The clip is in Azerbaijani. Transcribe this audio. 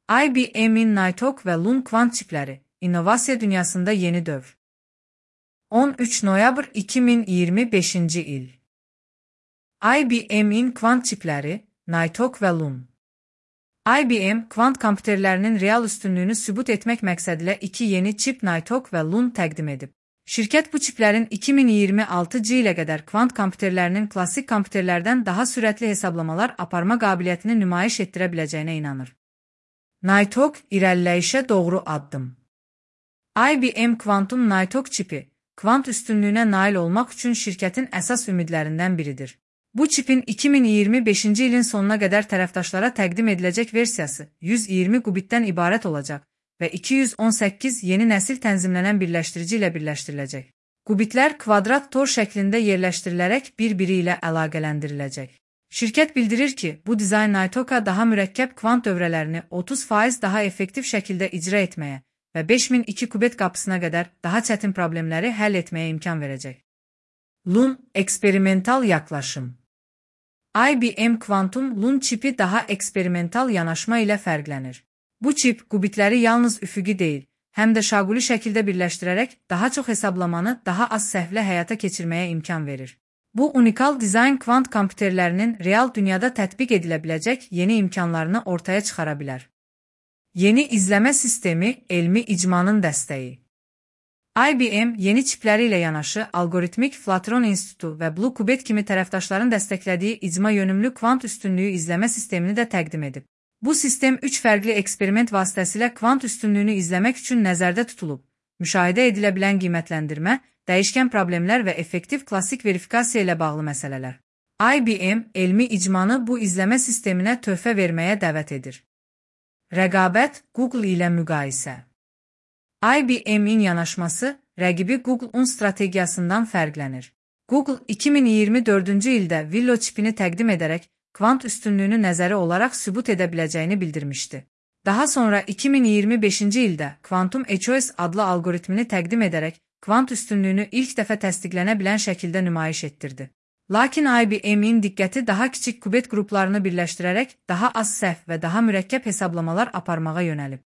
IBM-in Nighthawk və Loon kvant çipləri, innovasiya dünyasında yeni dövr. 13 noyabr 2025-ci il. IBM-in kvant çipləri, Nighthawk və Loon. IBM, kvant kompüterlərinin real üstünlüyünü sübut etmək məqsədilə iki yeni çip Nighthawk və Loon təqdim edib. Şirkət bu çiplərin 2026-cı ilə qədər kvant kompüterlərinin klassik kompüterlərdən daha sürətli hesablamalar aparma qabiliyyətini nümayiş etdirə biləcəyinə inanır. Nighthawk irəliləyişə doğru addım. IBM Quantum Nighthawk çipi, kvant üstünlüyünə nail olmaq üçün şirkətin əsas ümidlərindən biridir. Bu çipin 2025-ci ilin sonuna qədər tərəfdaşlara təqdim ediləcək versiyası 120 qubitdən ibarət olacaq və 218 yeni nəsil tənzimlənən birləşdirici ilə birləşdiriləcək. Qubitlər kvadrat tor şəklində yerləşdirilərək bir-biri ilə əlaqələndiriləcək. Şirkət bildirir ki, bu dizayn Nighthawka daha mürəkkəb kvant dövrələrini 30% daha effektiv şəkildə icra etməyə və 5002 qubit qapısına qədər daha çətin problemləri həll etməyə imkan verəcək. Loon eksperimental yaklaşım. IBM Quantum Loon çipi daha eksperimental yanaşma ilə fərqlənir. Bu çip qubitləri yalnız üfüqi deyil, həm də şaquli şəkildə birləşdirərək daha çox hesablamanı daha az səhvlə həyata keçirməyə imkan verir. Bu unikal dizayn kvant kompüterlərinin real dünyada tətbiq edilə biləcək yeni imkanlarını ortaya çıxara bilər. Yeni izləmə sistemi, elmi icmanın dəstəyi. IBM yeni çipləri ilə yanaşı Algoritmik Flatron İnstitutu və Blue Qubit kimi tərəfdaşların dəstəklədiyi icma yönümlü kvant üstünlüyü izləmə sistemini də təqdim edib. Bu sistem 3 fərqli eksperiment vasitəsilə kvant üstünlüyünü izləmək üçün nəzərdə tutulub. Müşahidə edilə bilən qiymətləndirmə, dəyişkən problemlər və effektiv klassik verifikasiya ilə bağlı məsələlər. IBM elmi icmanı bu izləmə sisteminə töhfə verməyə dəvət edir. Rəqabət, Google ilə müqayisə. IBM-in yanaşması, rəqibi Google-un strategiyasından fərqlənir. Google 2024-cü ildə Willow çipini təqdim edərək, kvant üstünlüyünü nəzəri olaraq sübut edə biləcəyini bildirmişdi. Daha sonra 2025-ci ildə Quantum HOS adlı algoritmini təqdim edərək, kvant üstünlüyünü ilk dəfə təsdiqlənə bilən şəkildə nümayiş etdirdi. Lakin IBM-in diqqəti daha kiçik qubit qruplarını birləşdirərək daha az səhv və daha mürəkkəb hesablamalar aparmağa yönəlib.